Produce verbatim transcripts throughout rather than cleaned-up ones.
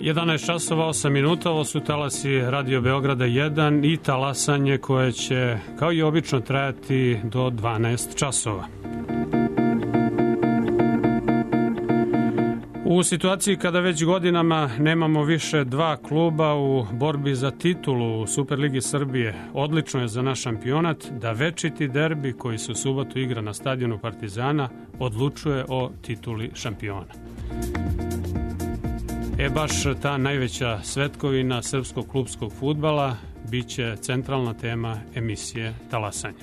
jedanaest časova osam minuta, ovo su talasi Radio Beograda jedan i talasanje koje će, kao i obično, trajati do dvanaest časova. U situaciji kada već godinama nemamo više dva kluba u borbi za titulu u Superligi Srbije, odlično je za naš šampionat da večiti derbi koji se u subotu igra na stadionu Partizana odlučuje o tituli šampiona. E baš ta najveća svetkovina srpskog klupskog fudbala biće centralna tema emisije Talasanje.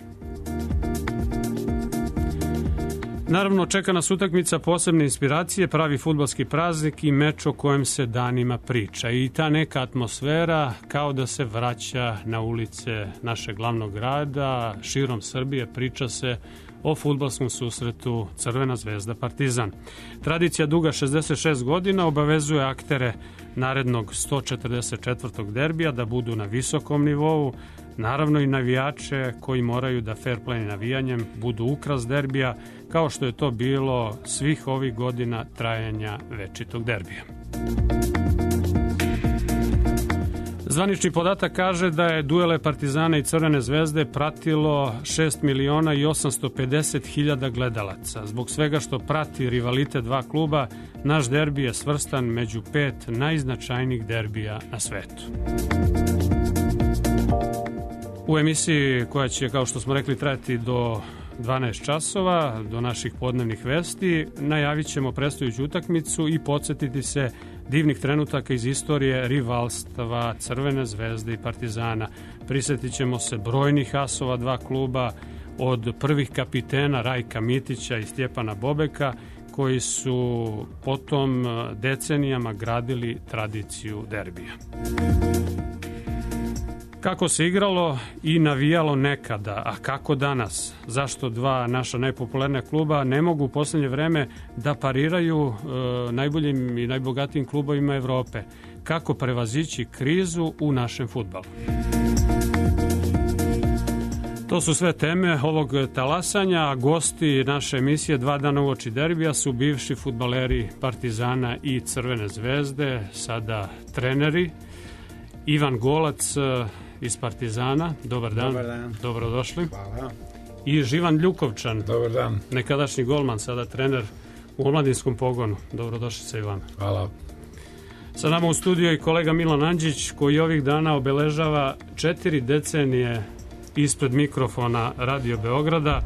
Naravno, čeka nas utakmica posebne inspiracije, pravi fudbalski praznik i meč o kojem se danima priča. I ta neka atmosfera kao da se vraća na ulice našeg glavnog grada, širom Srbije priča se o fudbalskom susretu Crvena zvezda Partizan. Tradicija duga šezdeset šest godina obavezuje aktere narednog sto četrdeset četvrtog derbija da budu na visokom nivou, naravno i navijače koji moraju da fair play navijanjem budu ukras derbija, kao što je to bilo svih ovih godina trajanja večitog derbija. Zvanični podatak kaže da je duele Partizana i Crvene zvezde pratilo šest miliona i osamsto pedeset hiljada gledalaca. Zbog svega što prati rivalite dva kluba, naš derbi je svrstan među pet najznačajnijih derbija na svetu. U emisiji koja će, kao što smo rekli, trajati do dvanaest časova, do naših podnevnih vesti, najavit ćemo predstojuću utakmicu i podsjetiti se divnih trenutaka iz istorije rivalstva Crvene zvezde i Partizana. Prisjetit ćemo se brojnih asova dva kluba, od prvih kapitena Rajka Mitića i Stjepana Bobeka, koji su potom decenijama gradili tradiciju derbija. Kako se igralo i navijalo nekada, a kako danas? Zašto dva naša najpopularnija kluba ne mogu u posljednje vreme da pariraju e, najboljim i najbogatijim klubovima Evrope? Kako prevazići krizu u našem fudbalu? To su sve teme ovog talasanja, a gosti naše emisije Dva dana uoči derbija su bivši fudbaleri Partizana i Crvene zvezde, sada treneri. Ivan Golac iz Partizana, dobar dan. Dobar dan. Dobrodošli. Hvala. I Živan Ljukovčan, dobar dan. Nekadašnji golman, sada trener u omladinskom pogonu. Dobrodošli se, Ivan. Hvala. Sa nama u studiju i kolega Milan Andžić, koji ovih dana obeležava četiri decenije ispred mikrofona Radio Beograda,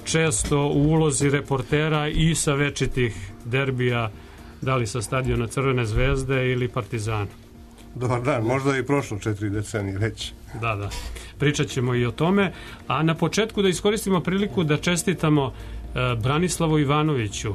često u ulozi reportera i sa večitih derbija, da li sa stadiona Crvene zvezde ili Partizana. Dobar dan, možda i prošlo četiri decenije već. Da, da. Pričat ćemo i o tome. A na početku da iskoristimo priliku da čestitamo e, Branislavu Ivanoviću.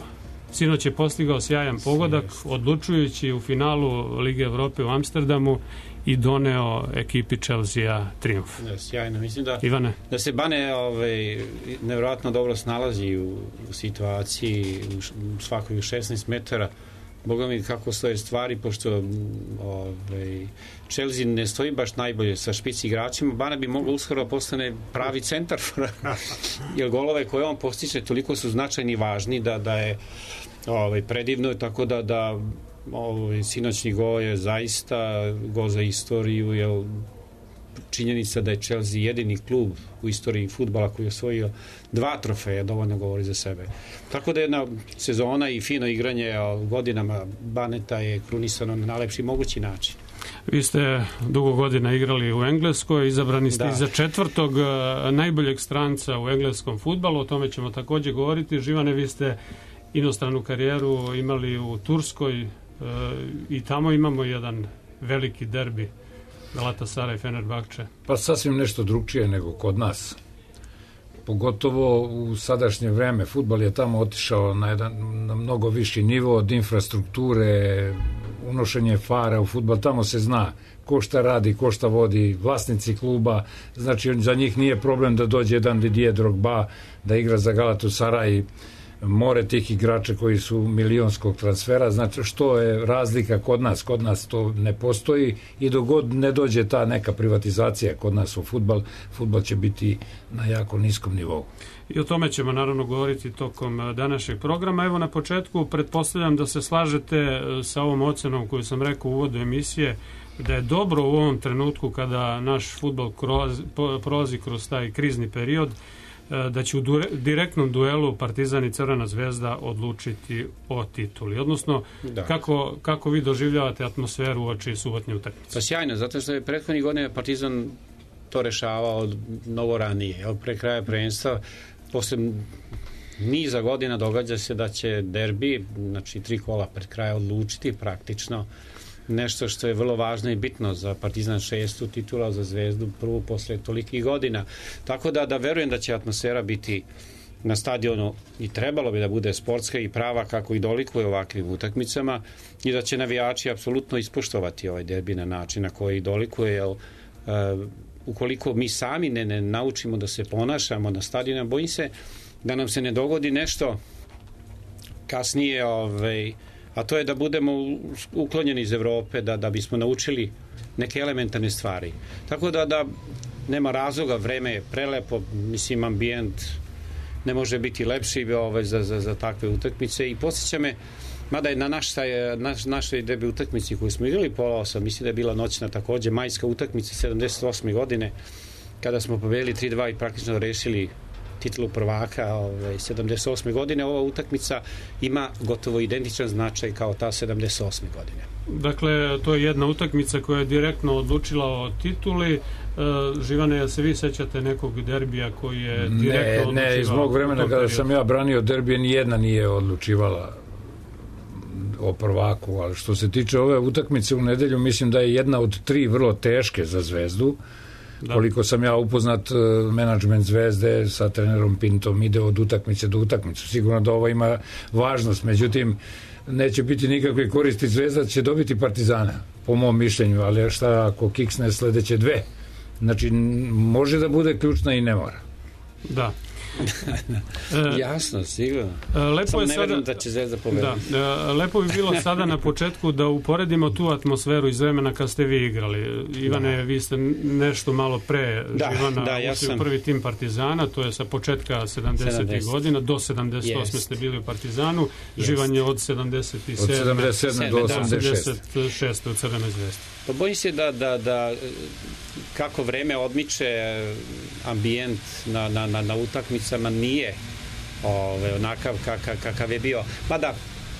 Sinoć je postigao sjajan pogodak, odlučujući u finalu Lige Evrope u Amsterdamu i doneo ekipi Chelsea trijumf. Da, sjajno. Mislim da, Ivane? da se Bane ovaj, nevjerojatno dobro snalazi u, u situaciji u svakoj šesnaest metara. Boga mi kako stoje stvari, pošto ovaj, Chelsea ne stoji baš najbolje sa špici igračima. Bana bi mogao uskoro postane pravi centar, jer golove koje on postiče toliko su značajni i važni da, da je ovaj, predivno, tako da, da ovaj, sinoćni gol je zaista gol za istoriju, jer činjenica da je Chelsea jedini klub u istoriji fudbala koji je osvojio dva trofeja dovoljno govori za sebe. Tako da jedna sezona i fino igranje godinama Baneta je krunisano na najlepši mogući način. Vi ste dugo godina igrali u Engleskoj, izabrani ste da. za četvrtog najboljeg stranca u engleskom fudbalu, o tome ćemo također govoriti. Živane, vi ste inostranu karijeru imali u Turskoj i tamo imamo jedan veliki derbi, Galatasaray i Fenerbahče. Pa sasvim nešto drugčije nego kod nas. Pogotovo u sadašnje vreme. Fudbal je tamo otišao na, jedan, na mnogo viši nivo od infrastrukture, unošenje fara u fudbal. Tamo se zna ko šta radi, ko šta vodi, vlasnici kluba. Znači, za njih nije problem da dođe jedan Didier Drogba da igra za Galatasaray more tih igrača koji su milionskog transfera, znači što je razlika kod nas, kod nas to ne postoji i dok god ne dođe ta neka privatizacija kod nas u fudbal, fudbal će biti na jako niskom nivou. I o tome ćemo naravno govoriti tokom današnjeg programa. Evo na početku pretpostavljam da se slažete sa ovom ocenom koju sam rekao u uvodu emisije, da je dobro u ovom trenutku kada naš fudbal prolazi kroz taj krizni period, da će u direktnom duelu Partizan i Crvena zvezda odlučiti o tituli. Odnosno, kako, kako vi doživljavate atmosferu uoči subotnje utakmice? Pa sjajno, zato što je prethodnih godina Partizan to rešavao mnogo ranije. Evo, pre kraja prvenstva, posle niza godina događa se da će derbi, znači tri kola pred kraja, odlučiti praktično nešto što je vrlo važno i bitno za Partizan, šestu titula, za Zvezdu prvu posle tolikih godina. Tako da, da verujem da će atmosfera biti na stadionu i trebalo bi da bude sportska i prava kako i dolikuje ovakvim utakmicama i da će navijači apsolutno ispoštovati ovaj derbi na način na koji dolikuje, jer uh, ukoliko mi sami ne, ne naučimo da se ponašamo na stadionu, bojim se da nam se ne dogodi nešto kasnije, ovaj, a to je da budemo uklonjeni iz Evrope, da, da bismo naučili neke elementarne stvari. Tako da, da nema razloga, vreme je prelepo, mislim, ambijent ne može biti lepši ovaj, za, za, za takve utakmice i posjeća me, mada je na naš, naš, našoj derbi utakmici koju smo igrali pola osam, mislim da je bila noćna takođe, majska utakmica sedamdeset osme godine, kada smo pobedili tri dva i praktično rešili titulu prvaka ovaj, sedamdeset osme godine. Ova utakmica ima gotovo identičan značaj kao ta sedamdeset osme godine. Dakle, to je jedna utakmica koja je direktno odlučila o tituli. E, Živane, se vi sećate nekog derbija koji je direktno ne, ne, iz mog vremena kada sam ja branio derbije, nijedna nije odlučivala o prvaku, ali što se tiče ove utakmice u nedelju, mislim da je jedna od tri vrlo teške za Zvezdu. Da. Koliko sam ja upoznat, menadžment Zvezde sa trenerom Pintom ide od utakmice do utakmice. Sigurno da ovo ima važnost, međutim neće biti nikakve koristi. Zvezda će dobiti Partizana, po mom mišljenju, ali šta ako kiksne sledeće dve? Znači, može da bude ključna i ne mora. Da. Jasno, sigurno. Lepo Samo je ne sada, verujem da će Zvezda pobediti. Da, lepo bi bilo sada na početku da uporedimo tu atmosferu iz vremena kad ste vi igrali. Ivane, da. Vi ste nešto malo pre da, Živana da, ja ušli sam... u prvi tim Partizana, to je sa početka sedamdesetih godina, do sedamdeset osme ste bili u Partizanu, Jest. Živan je od sedamdeset sedme od sedamdeset sedme do osamdeset šeste u Crvenoj zvezdi. Pa bojim se da, da, da kako vreme odmiče, ambijent na, na, na, na utakmicama nije ove, onakav kakav, kakav je bio. Mada,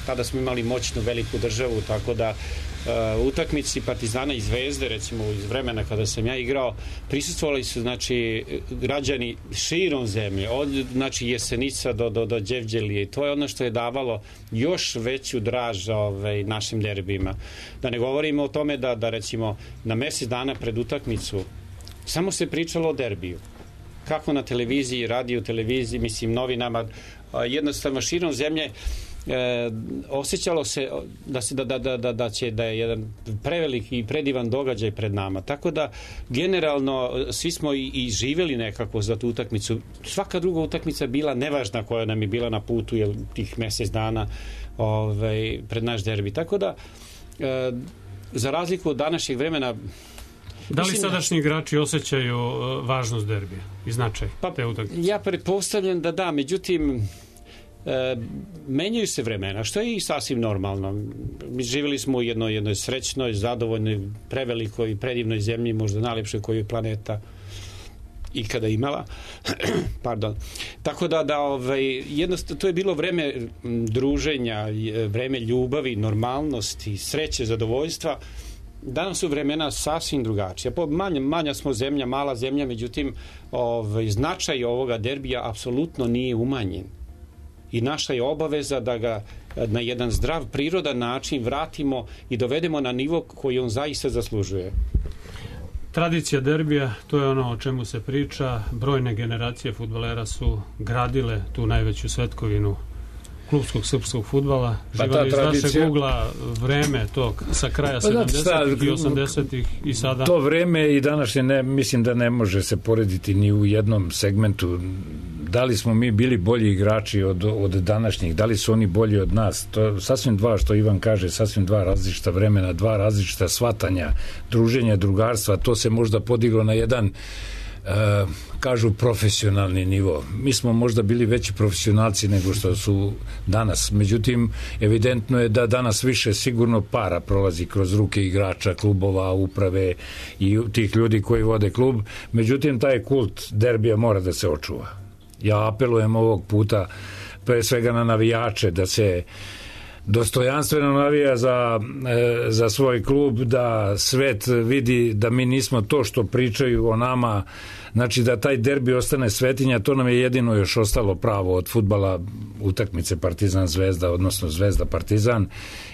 tada smo imali moćnu veliku državu, tako da uh, utakmici Partizana i Zvezde, recimo iz vremena kada sam ja igrao, prisustvovali su, znači, građani širom zemlje, od, znači, Jesenica do, do, do Đevđelije, i to je ono što je davalo još veću draž ovaj, našim derbima. Da ne govorimo o tome da, da recimo, na mesec dana pred utakmicu samo se pričalo o derbiju. Kako na televiziji, radio, televiziji, mislim, novinama, jednostavno širom zemlje E, osjećalo se da, se da, da, da, da će da je jedan preveliki i predivan događaj pred nama. Tako da generalno svi smo i, i živjeli nekako za tu utakmicu. Svaka druga utakmica bila nevažna koja nam je bila na putu jer tih mjesec dana ovaj, pred naš derbi. Tako da e, za razliku od današnjeg vremena da li sadašnji igrači osjećaju važnost derbija i značaj pa, te utakmice? Ja pretpostavljam da da, međutim E, menjaju se vremena, što je i sasvim normalno. Mi živjeli smo u jednoj, jednoj srećnoj, zadovoljnoj, prevelikoj i predivnoj zemlji, možda najlepšoj koju je planeta ikada imala. Pardon. Tako da, da ovaj, jednostavno, to je bilo vreme druženja, vreme ljubavi, normalnosti, sreće, zadovoljstva. Danas su vremena sasvim drugačija. Manja, manja smo zemlja, mala zemlja, međutim, ovaj, značaj ovoga derbija apsolutno nije umanjen. I naša je obaveza da ga na jedan zdrav, prirodan način vratimo i dovedemo na nivo koji on zaista zaslužuje. Tradicija derbija, to je ono o čemu se priča. Brojne generacije fudbalera su gradile tu najveću svetkovinu klubskog srpskog fudbala. Živali iz našeg ugla vreme tog sa kraja sedamdesetih i osamdesetih i sada. To vreme i današnje, ne, mislim da ne može se porediti ni u jednom segmentu. Da li smo mi bili bolji igrači od, od današnjih, da li su oni bolji od nas, to je sasvim dva, što Ivan kaže, sasvim dva različita vremena, dva različita shvatanja, druženja, drugarstva, to se možda podiglo na jedan Uh, kažu profesionalni nivo. Mi smo možda bili veći profesionalci nego što su danas. Međutim, evidentno je da danas više sigurno para prolazi kroz ruke igrača, klubova, uprave i tih ljudi koji vode klub. Međutim, taj kult derbija mora da se očuva. Ja apelujem ovog puta pre svega na navijače da se dostojanstveno navija za, e, za svoj klub, da svet vidi da mi nismo to što pričaju o nama, znači da taj derbi ostane svetinja, to nam je jedino još ostalo pravo od fudbala, utakmice Partizan Zvezda, odnosno Zvezda Partizan,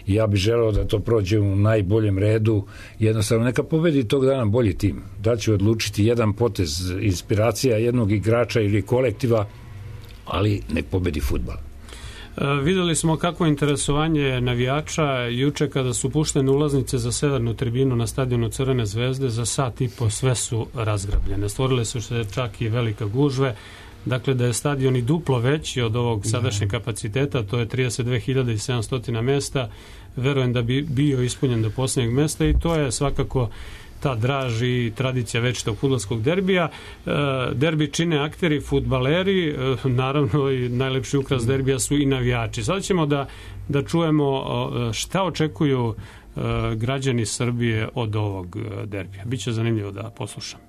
i ja bih želeo da to prođe u najboljem redu, jednostavno neka pobedi tog dana bolji tim, da će odlučiti jedan potez, inspiracija jednog igrača ili kolektiva, ali nek pobedi fudbal. E, videli smo kako interesovanje navijača juče kada su puštene ulaznice za severnu tribinu na stadionu Crvene Zvezde, za sat i po sve su razgrabljene. Stvorile su se čak i velika gužve, dakle da je stadion i duplo veći od ovog sadašnjeg kapaciteta, to je trideset dve hiljade sedamsto mesta, verujem da bi bio ispunjen do posljednjeg mesta i to je svakako ta draž i tradicija večitog fudbalskog derbija. E, derbi čine akteri, fudbaleri, e, naravno i najlepši ukras derbija su i navijači. Sada ćemo da, da čujemo šta očekuju e, građani Srbije od ovog derbija. Biće zanimljivo da poslušam.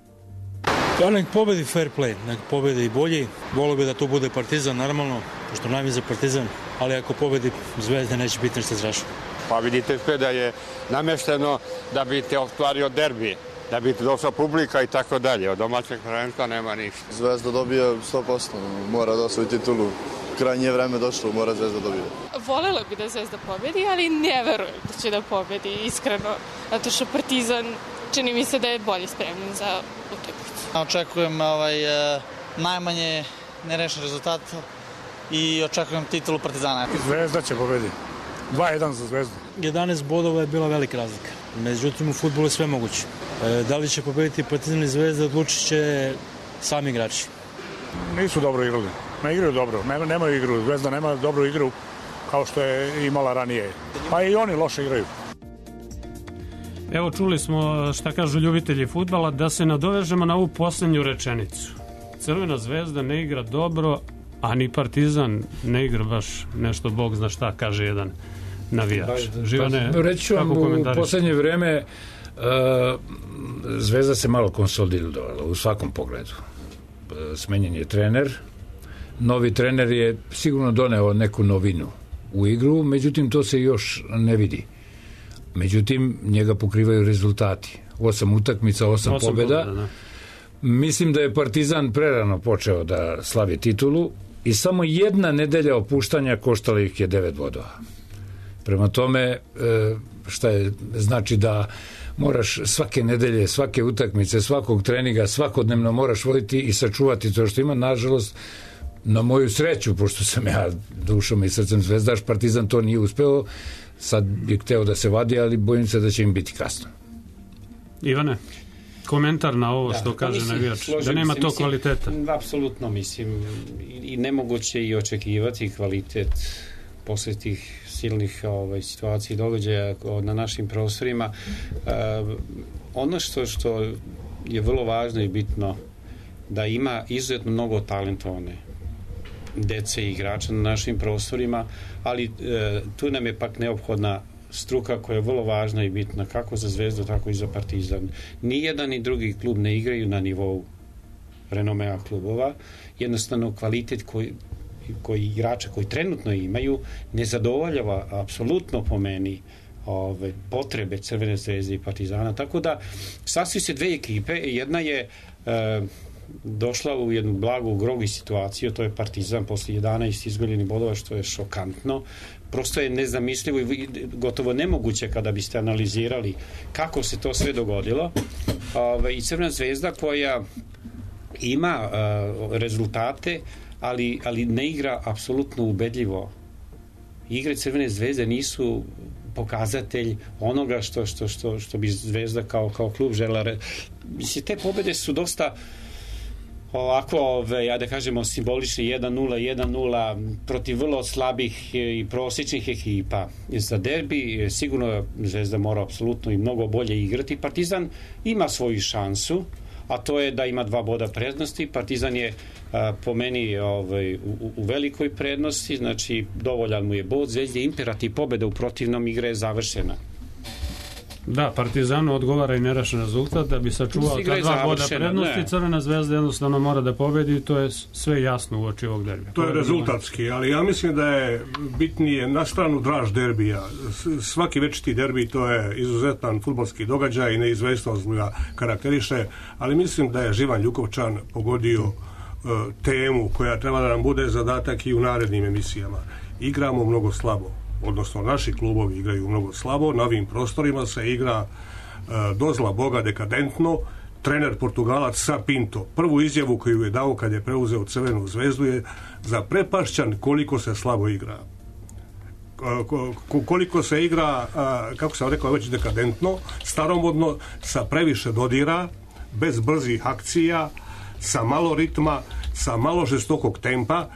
Ja, nek pobedi fair play, nek pobedi i bolji. Volio bi da to bude Partizan, normalno, pošto najmi za Partizan, ali ako pobedi Zvezda neće biti nešto strašno. Pa vidite sve da je namešteno da bi te ostvario derbi, da bi te došla publika i tako dalje. Od domaćeg prvenstva nema ništa. Zvezda dobija sto posto, mora da osvoji titulu. Krajnje vreme došlo, mora Zvezda dobije. Volela bi da Zvezda pobedi, ali ne verujem da će da pobedi, iskreno. Zato što Partizan čini mi se da je bolje spremljen za utakmicu. Očekujem ovaj, najmanje nerešen rezultat i očekujem titulu Partizana. Zvezda će pobedi. dva jedan za Zvezdu. jedanaest bodova je bila velika razlika. Međutim, u fudbalu je sve moguće. E, da li će pobediti Partizan i Zvezda, odlučit će sami igrači. Nisu dobro igrali. Ne igraju dobro. Nema, nemaju igru. Zvezda nema dobru igru kao što je imala ranije. Pa i oni loše igraju. Evo, čuli smo šta kažu ljubitelji fudbala, da se nadovežemo na ovu posljednju rečenicu. Crvena Zvezda ne igra dobro, a ni Partizan ne igra baš nešto, Bog zna šta, kaže jedan navijač. Živane, reći ću vam, u posljednje vreme uh, Zvezda se malo konsolidovala u svakom pogledu. Uh, smenjen je trener, novi trener je sigurno doneo neku novinu u igru, međutim to se još ne vidi. Međutim, njega pokrivaju rezultati. Osam utakmica, osam, osam pobjeda. pobjeda da. Mislim da je Partizan prerano počeo da slavi titulu i samo jedna nedelja opuštanja koštala ih je devet bodova. Prema tome, šta je, znači da moraš svake nedelje, svake utakmice, svakog treninga, svakodnevno moraš voditi i sačuvati to što ima. Nažalost, na moju sreću, pošto sam ja dušom i srcem zvezdaš, Partizan to nije uspeo. Sad je hteo da se vadi, ali bojim se da će im biti kasno. Ivane, komentar na ovo da, što kaže mislim, navijač, da nema se, to mislim, kvaliteta. Apsolutno, mislim, i nemoguće i očekivati kvalitet posle tih silnih ovaj, situacija i događaja na našim prostorima. Uh, ono što, što je vrlo važno i bitno, da ima izuzetno mnogo talentovane dece i igrača na našim prostorima, ali e, tu nam je pak neophodna struka koja je vrlo važna i bitna kako za Zvezdu, tako i za Partizan. Nijedan ni drugi klub ne igraju na nivou renomea klubova. Jednostavno kvalitet koji, koji igrača koji trenutno imaju ne zadovoljava apsolutno po meni ove, potrebe Crvene Zvezde i Partizana. Tako da sasviju se dve ekipe. Jedna je e, došla u jednu blagu grogi situaciju, to je Partizan posle jedanaest izguljenih bodova, što je šokantno. Prosto je nezamislivo i gotovo nemoguće kada biste analizirali kako se to sve dogodilo. Ove, I Crvena Zvezda koja ima uh, rezultate, ali, ali ne igra apsolutno ubedljivo. Igre Crvene Zvezde nisu pokazatelj onoga što, što, što, što bi Zvezda kao, kao klub žela. Mislim, te pobede su dosta ovako, ove, ja da kažemo, simbolični jedan nula, jedan nula protiv vrlo slabih i prosječnih ekipa. Za derbi sigurno Zvezda mora apsolutno i mnogo bolje igrati. Partizan ima svoju šansu, a to je da ima dva boda prednosti. Partizan je a, po meni ovaj, u, u velikoj prednosti, znači dovoljan mu je bod. Zvezdi je imperativ pobjeda, u protivnom igra je završena. Da, Partizanu odgovara i nerešen rezultat da bi sačuvao ta dva boda prednosti. Ne. Crvena Zvezda jednostavno mora da pobedi i to je sve jasno u oči ovog derbija. To je rezultatski, ali ja mislim da je bitnije na stranu draž derbija. Svaki večiti derbi to je izuzetan fudbalski događaj i neizvesnost ga karakteriše, ali mislim da je Živan Ljukovčan pogodio uh, temu koja treba da nam bude zadatak i u narednim emisijama. Igramo mnogo slabo, odnosno naši klubovi igraju mnogo slabo, na ovim prostorima se igra uh, dozla Boga dekadentno. Trener Portugalac Sa Pinto prvu izjavu koju je dao kad je preuzeo Crvenu Zvezdu je zaprepašćan koliko se slabo igra. Uh, koliko se igra, uh, kako sam rekao već, dekadentno, staromodno, sa previše dodira, bez brzih akcija, sa malo ritma, sa malo žestokog tempa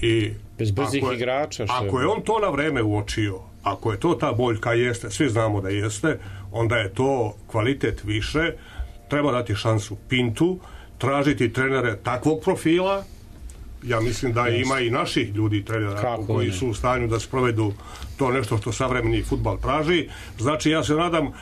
i bez brzih ako je, igrača. Što ako je on to na vreme uočio, ako je to ta boljka jeste, svi znamo da jeste, onda je to kvalitet više. Treba dati šansu Pintu, tražiti trenere takvog profila. Ja mislim da jeste. Ima i naših ljudi trenera Kako koji ne? su u stanju da sprovedu to nešto što savremeni fudbal traži. Znači ja se nadam,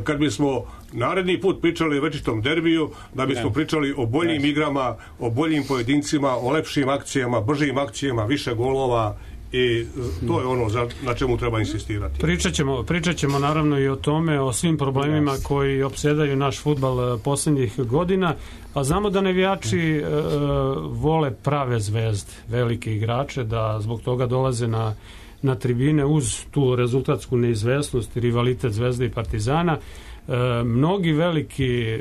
kad bismo naredni put pričali o večitom derbiju, da bismo ne. pričali o boljim ne. igrama, o boljim pojedincima, o lepšim akcijama, bržim akcijama, više golova, i to je ono za, na čemu treba insistirati. Pričat ćemo, pričat ćemo naravno i o tome, o svim problemima yes. koji opsedaju naš fudbal posljednjih godina, a znamo da navijači e, vole prave zvezde, velike igrače, da zbog toga dolaze na, na tribine uz tu rezultatsku neizvesnost i rivalitet Zvezde i Partizana. E, mnogi veliki e,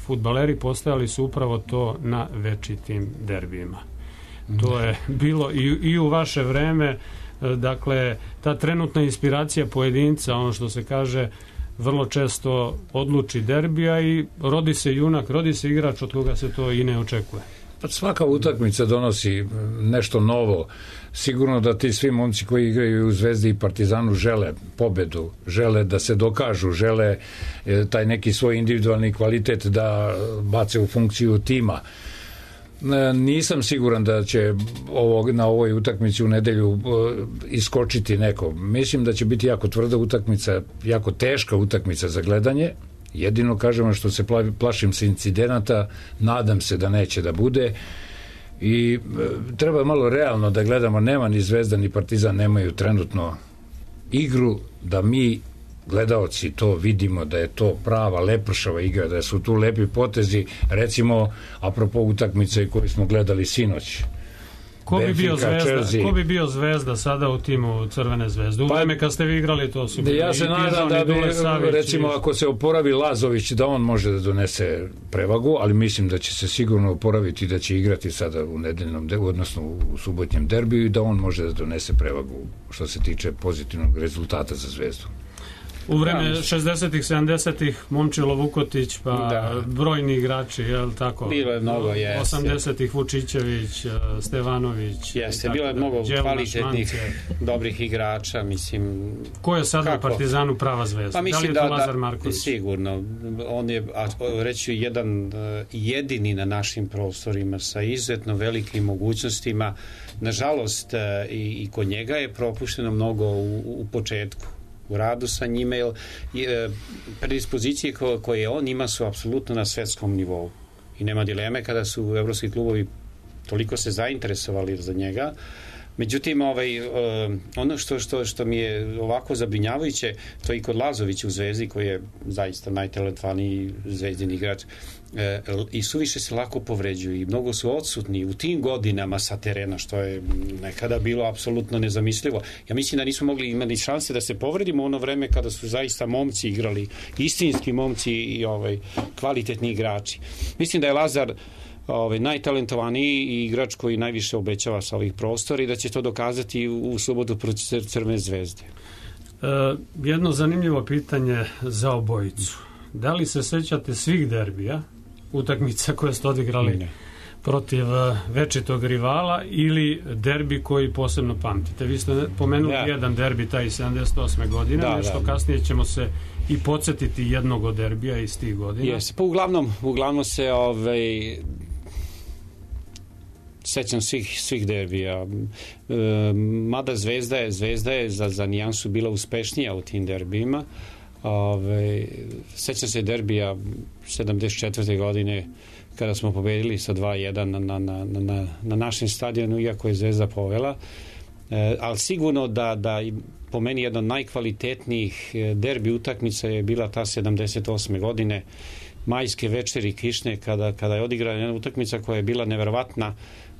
fudbaleri postajali su upravo to na večitim derbijima. To je bilo i, i u vaše vreme, dakle, ta trenutna inspiracija pojedinca, ono što se kaže, vrlo često odluči derbija i rodi se junak, rodi se igrač od koga se to i ne očekuje. Pa svaka utakmica donosi nešto novo. Sigurno da ti svi momci koji igraju u Zvezdi i Partizanu žele pobedu, žele da se dokažu, žele taj neki svoj individualni kvalitet da bace u funkciju tima. Nisam siguran da će ovo, na ovoj utakmici u nedelju uh, iskočiti neko. Mislim da će biti jako tvrda utakmica, jako teška utakmica za gledanje. Jedino kažemo što se pla, plašim se incidenata, nadam se da neće da bude i uh, treba malo realno da gledamo. Nema ni Zvezda ni Partizan nemaju trenutno igru da mi gledaoci to vidimo da je to prava lepršava igra, da su tu lepi potezi, recimo apropo utakmice koju smo gledali sinoć. Ko bi, bio zvezda, ko bi bio Zvezda sada u timu Crvene Zvezde? U vreme kad ste vi igrali to su bili. Ja se nadam da bi, recimo, ako se oporavi Lazović, da on može da donese prevagu, ali mislim da će se sigurno oporaviti i da će igrati sada u nedeljnom, odnosno u subotnjem derbiju i da on može da donese prevagu što se tiče pozitivnog rezultata za Zvezdu. U vreme šezdesetih, sedamdesetih Momčilo Vukotić, pa da. brojni igrači, je li tako? Bilo je mnogo, jes. osamdesetih Vučićević, Stevanović. Jeste, bilo je mnogo kvalitetnih, dobrih igrača, mislim. Ko je sada kako? u Partizanu prava zvezda? Pa da li je to da, Lazar Marković? Sigurno. On je, a, reći jedan jedini na našim prostorima sa izuzetno velikim mogućnostima. Nažalost, i, i kod njega je propušteno mnogo u, u početku. U radu sa njima, jer e, predispozicije ko, koje on ima su apsolutno na svetskom nivou. I nema dileme kada su evropski klubovi toliko se zainteresovali za njega. Međutim, ovaj, e, ono što, što, što mi je ovako zabrinjavajuće, to i kod Lazovića u Zvezdi, koji je zaista najtalentovaniji zvezdin igrač, e, i suviše se lako povređuju i mnogo su odsutni u tim godinama sa terena, što je nekada bilo apsolutno nezamislivo. Ja mislim da nismo mogli imati šanse da se povredimo u ono vreme kada su zaista momci igrali, istinski momci i ovaj, kvalitetni igrači. Mislim da je Lazar ovaj, najtalentovaniji i igrač koji najviše obećava sa ovih prostora i da će to dokazati u, u subotu protiv Crvene Zvezde. E, jedno zanimljivo pitanje za obojicu. Da li se sećate svih derbija, utakmica koje ste odigrali ne. protiv večitog rivala ili derbi koji posebno pamtite. Vi ste pomenuli ja. jedan derbi taj sedamdeset osme godine, da, nešto da. kasnije ćemo se i podsjetiti jednog od derbija iz tih godina. Jeste, pa uglavnom, uglavnom se ovaj, sećam svih, svih derbija. E, mada Zvezda je, Zvezda je za, za nijansu bila uspešnija u tim derbijima. Ove, sećam se derbija sedamdeset četvrte godine kada smo pobedili sa dva jedan na, na, na, na, na našem stadionu, iako je Zvezda povela. E, ali sigurno da, da po meni jedna od najkvalitetnijih derbi utakmica je bila ta sedamdeset osme godine, majske večeri kišne, kada, kada je odigrana jedna utakmica koja je bila neverovatna.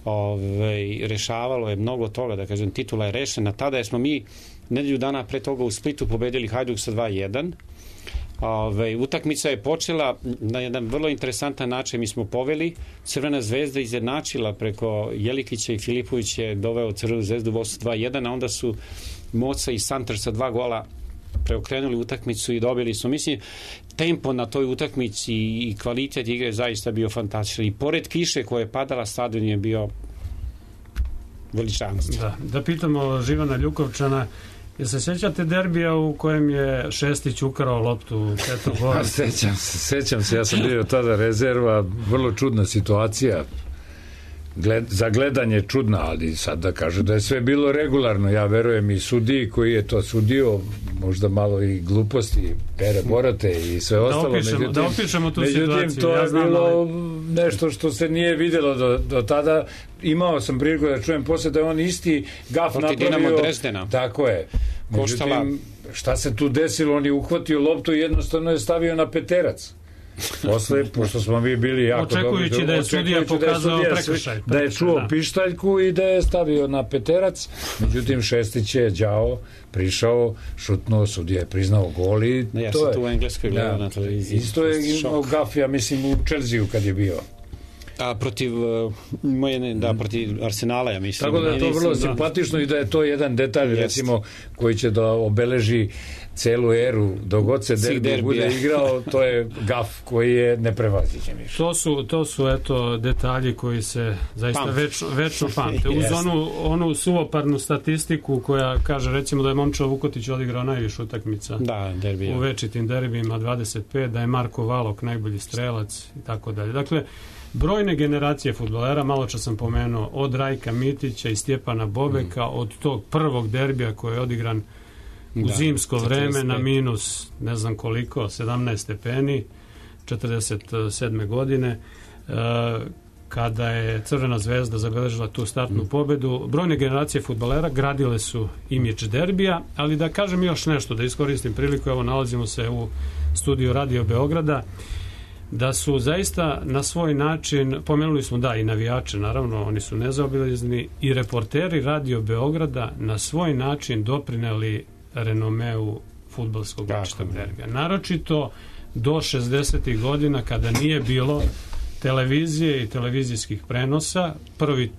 Ove, rešavalo je mnogo toga, da kažem, titula je rešena. Tada smo mi nedelju dana pre toga u Splitu pobedili Hajduk sa dva jedan. Ove, utakmica je počela na jedan vrlo interesantan način. Mi smo poveli, Crvena zvezda izjednačila preko Jelikića i Filipović je doveo Crvenu zvezdu vodstvo dva jedan, a onda su Moca i Santar sa dva gola preokrenuli utakmicu i dobili su. Mislim, tempo na toj utakmici i kvalitet igre zaista bio fantastičan. I pored kiše koja je padala, stadion je bio veličanstvo. Da, da pitamo Živana Ljukovčana, jel se sećate derbija u kojem je Šestić ukrao loptu u Petru Goru? Sećam se, sećam se, ja sam bio tada rezerva, vrlo čudna situacija. Gled, za gledanje čudna, ali sad da kažu da je sve bilo regularno, ja verujem i sudiji koji je to sudio, možda malo i gluposti, Pere Borate i sve ostalo. Da opišemo, međutim, da opišemo tu međutim, situaciju. to ja je znam, bilo ali... nešto što se nije vidjelo do, do tada. Imao sam priliku da čujem posle da je on isti gaf napravio. Tako je. Međutim, šta se tu desilo? On je uhvatio loptu i jednostavno je stavio na peterac. Posle, pošto smo mi bili jako očekujući dobri, da je sudija pokazao prekršaj, da je čuo da. pištaljku i da je stavio na peterac. Međutim, Šestić je đao prišao, šutnuo, sudija je priznao gol i da, ja to sam je. tu u Engleskoj gledao na televiziji. Isto je imao gaf, ja mislim, u Čelziju kad je bio. A protiv moje, da, protiv Arsenala, ja mislim. Tako da je to vrlo simpatično i da je to jedan detalj, Jest. recimo, koji će da obeleži celu eru, dok god se derbi, derbi bude igrao, to je gaf koji je neprevaziđen. To su, to su eto detalji koji se zaista Pamte. večno, večno pamte. Uz onu, onu suvoparnu statistiku koja kaže recimo da je Momčilo Vukotić odigrao najviše utakmica da, derbi, u večitim derbijima, dvadeset pet, da je Marko Valok najbolji strelac i tako dalje. Dakle, brojne generacije fudbalera, malo čas sam pomenuo, od Rajka Mitića i Stjepana Bobeka, mm. od tog prvog derbija koji je odigran u da, zimsko vreme na minus ne znam koliko, sedamnaest stepeni, četrdeset sedme godine, e, kada je Crvena zvezda zabeležila tu startnu mm. pobedu. Brojne generacije fudbalera gradile su imidž derbija, ali da kažem još nešto, da iskoristim priliku, evo nalazimo se u studiju Radio Beograda, da su zaista na svoj način, pomenuli smo da i navijače, naravno oni su nezaobilazni, i reporteri Radio Beograda na svoj način doprineli renomeu fudbalskog večitog derbija. Naročito do šezdesetih godina kada nije bilo televizije i televizijskih prenosa. Prvi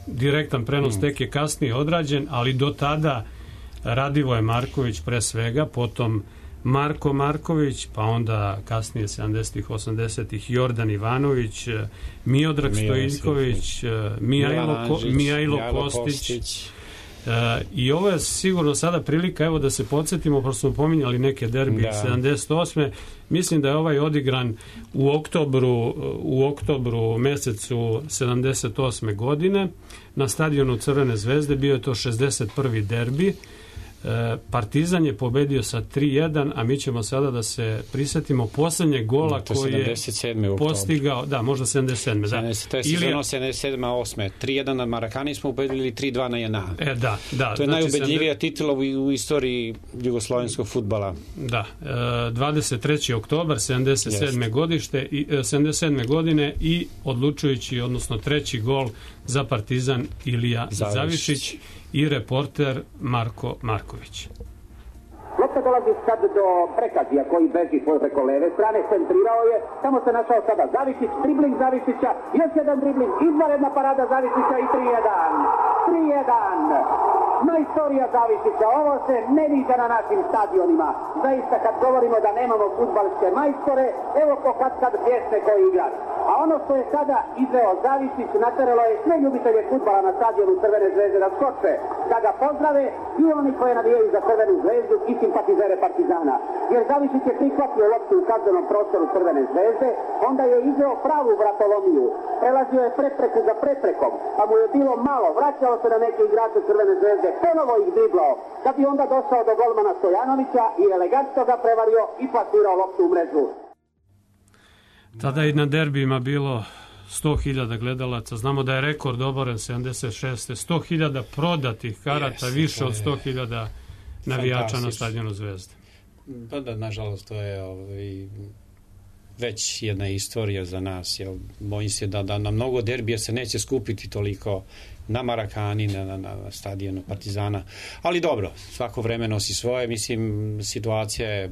direktan prenos mm. tek je kasnije odrađen, ali do tada Radivoje Marković pre svega, potom Marko Marković, pa onda kasnije sedamdesetih, osamdesetih Jordan Ivanović, Miodrag Stojiljković, Mijajlo, Ko, Mijajlo Kostić. Kostić. Uh, i ovo je sigurno sada prilika, evo da se podsjetimo, prosto smo pominjali neke derbije sedamdeset osme. Mislim da je ovaj odigran u oktobru u oktobru mesecu sedamdeset osme godine na stadionu Crvene zvezde. Bio je to šezdeset prvi derbi. Partizan je pobedio sa tri jedan, a mi ćemo sada da se prisetimo poslednjeg gola koji je postigao, da, možda sedamdeset sedme Da. To je sezono sedamdeset sedme osme tri jedan na Marakani smo pobedili tri dva na J N A. E, da, da. To je znači, najubedljivija titula u, u istoriji jugoslovenskog fudbala. Da, dvadeset treći oktobar sedamdeset sedme godište i sedamdeset sedme godine i odlučujući, odnosno treći gol za Partizan Ilija Zavišić, Zavišić i reporter Marko Marković. Lopta dolazi sad do Prekazija koji beži preko leve strane, centrirao je, tamo se našao sada Zavišić, dribling Zavišića, još jedan dribling, izvanredna parada Zavišića i tri jedan. tri jedan. Majstorija Zavišića, ovo se ne viđa na našim stadionima. Zaista kad govorimo da nemamo fudbalske majstore, evo po kad kad pjesme koji igra. A ono što je sada izveo Zavišić nateralo je sve ljubitelje fudbala na stadionu Crvene zvezde da skoče, da ga pozdrave i oni koji navijaju za Crvenu zvezdu i simpatizere Partizana. Jer Zavišić je prihvatio loptu u kaznenom prostoru Crvene zvezde, onda je izveo pravu vratolomiju, prelazio je prepreku za preprekom, pa mu je bilo malo, vraćao se na neke igrače Crvene zvezde, ponovo ih driblao, da bi onda došao do golmana Stojanovića i elegantno ga prevario i plasirao loptu u mrežu. Tada je na derbijima bilo sto hiljada gledalaca. Znamo da je rekord oboren sedamdeset šeste sto hiljada prodatih karata, yes, više od sto hiljada navijača na stadionu Zvezde. Pa da, nažalost, to je ovaj, već jedna istorija za nas. Jel, bojim se da, da na mnogo derbija se neće skupiti toliko na Marakani, na, na, na stadionu Partizana. Ali dobro, svako vreme nosi svoje. Mislim, situacija je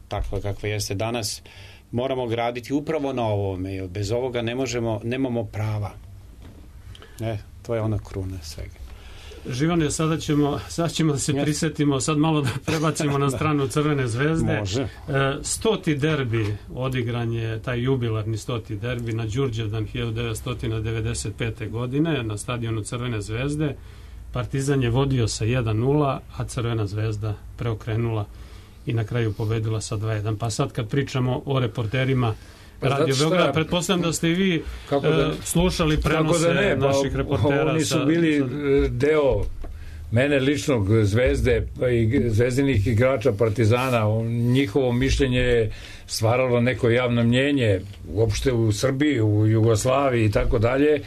takva kakva jeste danas. Moramo graditi upravo na ovome, jer bez ovoga ne možemo, nemamo prava. E, to je ona kruna svega. Živane, sada ćemo, sada ćemo da se yes. prisetimo, sad malo da prebacimo na stranu Crvene zvezde. Može. E, stoti derbi odigran je, taj jubilarni stoti derbi na Đurđevdan hiljadu devetsto devedeset pete. godine na stadionu Crvene zvezde. Partizan je vodio sa jedan nula, a Crvena zvezda preokrenula i na kraju pobedila sa dva jedan. Pa sad kad pričamo o reporterima pa Radio Beograda, pretpostavljam da ste i vi da, slušali prenose da ne, naših pa, reportera. Oni su bili sa... deo mene ličnog Zvezde i zvezdinih igrača Partizana. Njihovo mišljenje je stvaralo neko javno mnjenje uopšte u Srbiji, u Jugoslaviji i tako dalje.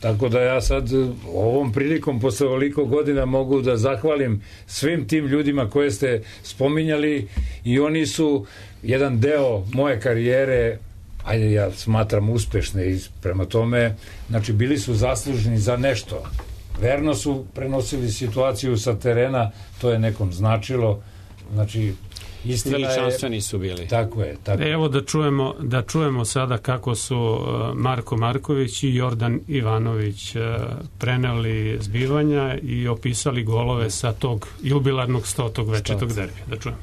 Tako da ja sad ovom prilikom posle ovoliko godina mogu da zahvalim svim tim ljudima koje ste spominjali i oni su jedan deo moje karijere, ajde ja smatram uspešne i prema tome, znači bili su zaslužni za nešto. Verno su prenosili situaciju sa terena, to je nekom značilo, znači veličanstveni su bili. Tako je. Tako. Evo da čujemo, da čujemo sada kako su Marko Marković i Jordan Ivanović preneli zbivanja i opisali golove sa tog jubilarnog stotog večitog derbija. Da čujemo.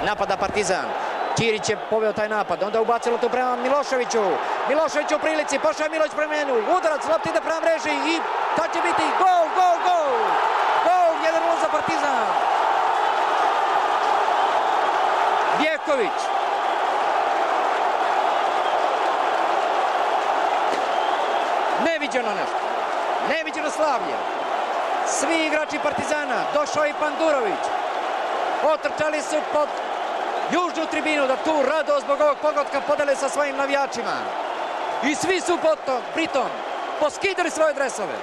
Napada Partizan. Ćirić je poveo taj napad, onda ubacilo to prema Miloševiću. Milošević u prilici, pošao je Miloš prema njemu. Udarac, lopta ide prema mreži i to će biti gol, gol, gol. Gol, jedan nula za Partizan. Vjeković. Neviđeno nešto. Neviđeno slavlje. Svi igrači Partizana. Došao i Pandurović. Otrčali su pod južnu tribinu da tu radost zbog ovog pogotka podele sa svojim navijačima. I svi su potom, pritom poskidali svoje dresove.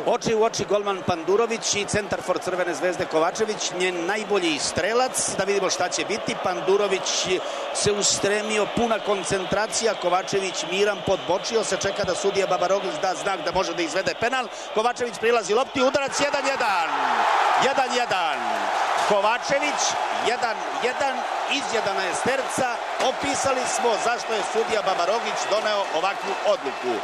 Oči u oči golman Pandurović i centar for Crvene zvezde Kovačević, njen najbolji strelac, da vidimo šta će biti. Pandurović se ustremio, puna koncentracija, Kovačević miran, podbočio se, čeka da sudija Babaroglić da znak da može da izvede penal. Kovačević prilazi lopti, udarac jedan jedan. jedan jedan. Kovačević jedan jedan, izjedana je sterca. Opisali smo zašto je sudija Babaroglić doneo ovakvu odluku.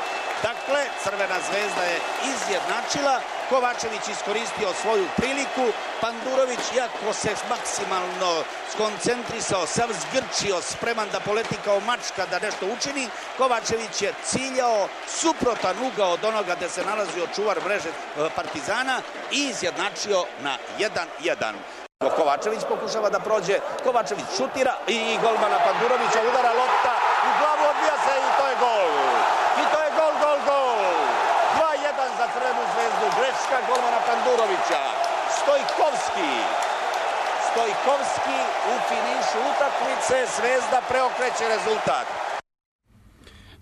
Dakle, Crvena zvezda je izjednačila, Kovačević iskoristio svoju priliku, Pandurović, iako se maksimalno skoncentrisao, sav zgrčio, spreman da poleti kao mačka da nešto učini, Kovačević je ciljao suprotan ugao od onoga gde se nalazio čuvar mreže Partizana i izjednačio na jedan jedan. Kovačević pokušava da prođe, Kovačević šutira i golmana Pandurovića udara lopta, u glavu odbija se i to je gol. I to je gol, gol, gol. dva jedan za Crvenu zvezdu, greška golmana Pandurovića. Stojkovski. Stojkovski u finišu utakmice, Zvezda preokreće rezultat.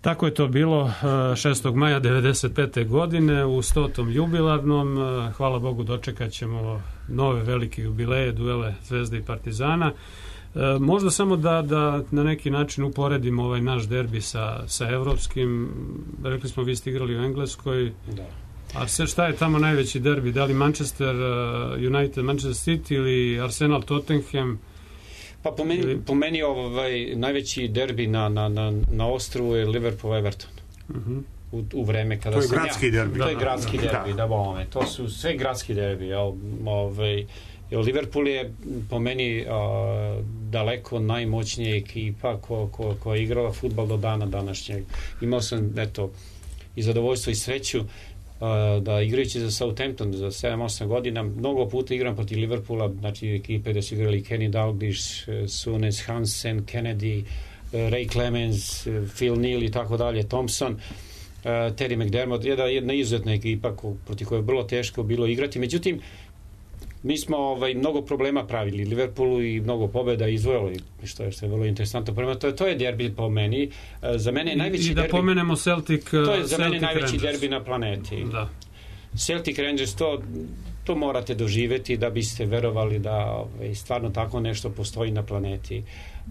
Tako je to bilo šestog maja devedeset pete. godine u stotom jubilarnom. Hvala Bogu, dočekat ćemo nove velike jubileje, duele Zvezde i Partizana. Možda samo da, da na neki način uporedimo ovaj naš derbi sa, sa evropskim. Rekli smo, vi ste igrali u Engleskoj. Da. Arsenal, šta je tamo najveći derbi? Da li Manchester United, Manchester City ili Arsenal Tottenham? Pa po meni, po meni ovaj, najveći derbi na, na, na, na ostrovu je Liverpool Everton. Uh-huh. U, u vreme kada to je gradski ja, derbi. To je gradski da, derbi, da, da bome. To su sve gradski derbi. Jel, ovaj, Jer Liverpool je po meni a, daleko najmoćnija ekipa ko, ko, koja je igrala fudbal do dana današnjeg. Imao sam, eto, i zadovoljstvo i sreću a, da igrajući za Southampton za sedam osam godina, mnogo puta igram protiv Liverpoola, znači ekipe da su igrali Kenny Dalglish, Souness, Hansen, Kennedy, Ray Clemens, Phil Neal i tako dalje, Thompson, Terry McDermott, jedna, jedna izuzetna ekipa ko, protiv koje je vrlo teško bilo igrati. Međutim, mi smo ovaj, mnogo problema pravili Liverpoolu i mnogo pobjeda izvojili, što je, što je vrlo interesantno. Prema to, to je derbi po meni. Za mene je najveći I da derbi, pomenemo Celtic, to je za Celtic mene najveći Rangers. derbi na planeti. Da. Celtic Rangers, to, to morate doživjeti da biste verovali da ovaj, stvarno tako nešto postoji na planeti.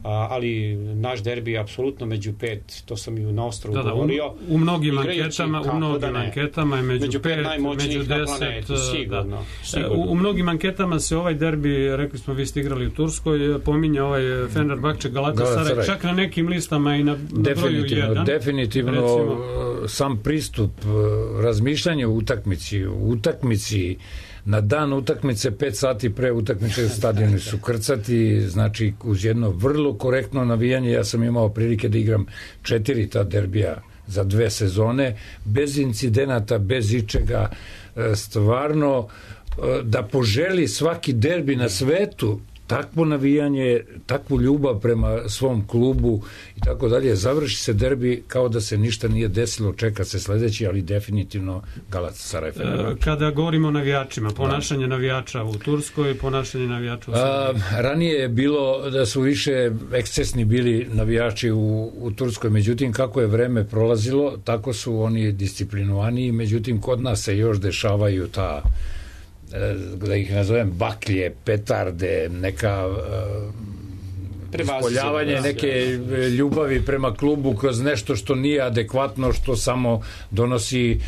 A, ali naš derbi je apsolutno među pet, to sam i u Nostru da, da, govorio. U, u mnogim igrajući, anketama, u mnogim da anketama je među, među pet, pet najmoćnijih među na deset, planeti, sigurno. Da. sigurno. U, u mnogim anketama se ovaj derbi, rekli smo vi ste igrali u Turskoj, pominje ovaj Fenerbahče Galatasaray, čak na nekim listama i na, na broju jedan. Definitivno, recimo, sam pristup, razmišljanje u utakmici, u utakmici na dan utakmice, pet sati pre utakmice stadioni su krcati, znači uz jedno vrlo korektno navijanje. Ja sam imao prilike da igram četiri ta derbija za dve sezone, bez incidenata, bez ičega, stvarno da poželi svaki derbi na svetu takvo navijanje, takvu ljubav prema svom klubu i tako dalje. Završi se derbi kao da se ništa nije desilo, čeka se sledeći, ali definitivno Galatasaray Fenerbahče. Kada govorimo o navijačima, ponašanje da. navijača u Turskoj, ponašanje navijača u Srbiji. Ranije je bilo da su više ekscesni bili navijači u, u Turskoj, međutim kako je vreme prolazilo, tako su oni disciplinovaniji, međutim kod nas se još dešavaju ta, da ih nazovem, baklje, petarde, neka ispoljavanje neke ljubavi prema klubu kroz nešto što nije adekvatno, što samo donosi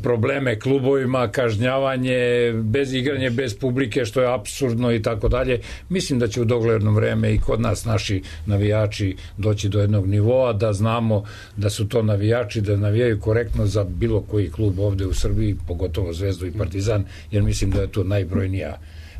probleme klubovima, kažnjavanje, bez igranje, bez publike, što je apsurdno i tako dalje. Mislim da će u dogledno vreme i kod nas naši navijači doći do jednog nivoa, da znamo da su to navijači, da navijaju korektno za bilo koji klub ovde u Srbiji, pogotovo Zvezdu i Partizan, jer mislim da je to najbrojnija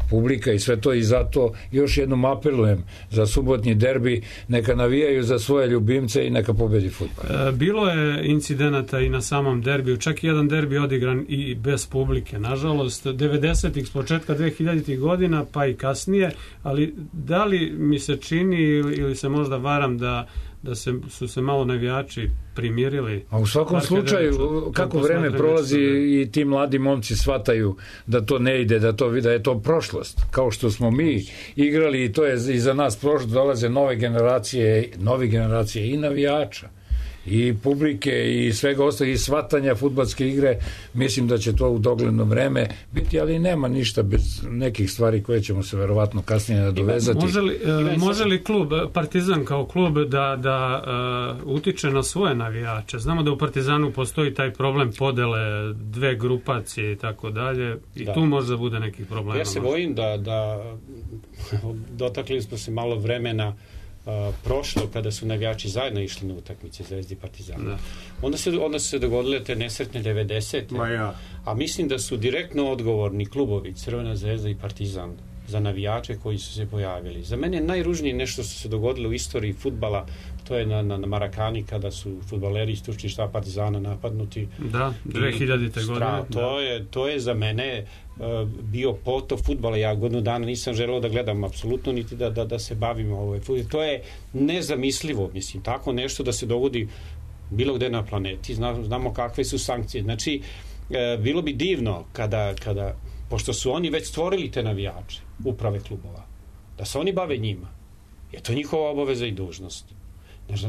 publika i sve to, i zato još jednom apelujem za subotnji derbi, neka navijaju za svoje ljubimce i neka pobedi fudbal. Bilo je incidenata i na samom derbiju, čak i jedan derbi odigran i bez publike, nažalost, devedesetih s početka dvehiljaditih godina pa i kasnije, ali da li mi se čini ili se možda varam da da se, su se malo navijači primirili. A u svakom slučaju, kako vreme prolazi i ti mladi momci shvataju da to ne ide, da to da je to prošlost. Kao što smo mi igrali i to je iza nas prošlo, dolaze nove generacije, nove generacije i navijača i publike i svega ostalog i shvatanja fudbalske igre. Mislim da će to u dogledno vreme biti, ali nema ništa bez nekih stvari koje ćemo se verovatno kasnije nadovezati. Može li, može li klub, Partizan kao klub, da, da uh, utiče na svoje navijače? Znamo da u Partizanu postoji taj problem podele dve grupacije i tako dalje, i da. Tu možda bude nekih problema. Ja se bojim da, da dotakli smo se malo vremena Uh, prošlo kada su navijači zajedno išli na utakmice Zvezde i Partizana. Da. Onda se onda su se dogodile te nesretne devedesete. Ja. A mislim da su direktno odgovorni klubovi Crvena Zvezda i Partizan za navijače koji su se pojavili. Za mene je najružnije nešto što se dogodilo u istoriji fudbala, to je na, na, na Marakani kada su fudbaleri iz stručni štab Partizana napadnuti. Da, dvehiljadite godine. To da. je, to je za mene uh, bio potop fudbala. Ja godinu dana nisam želeo da gledam apsolutno, niti da, da, da se bavim ovaj fudbal. To je nezamislivo, mislim, tako nešto da se dogodi bilo gde na planeti. Znamo, znamo kakve su sankcije. Znači, uh, bilo bi divno kada, kada, pošto su oni već stvorili te navijače, uprave klubova, da se oni bave njima. Je to njihova obaveza i dužnost.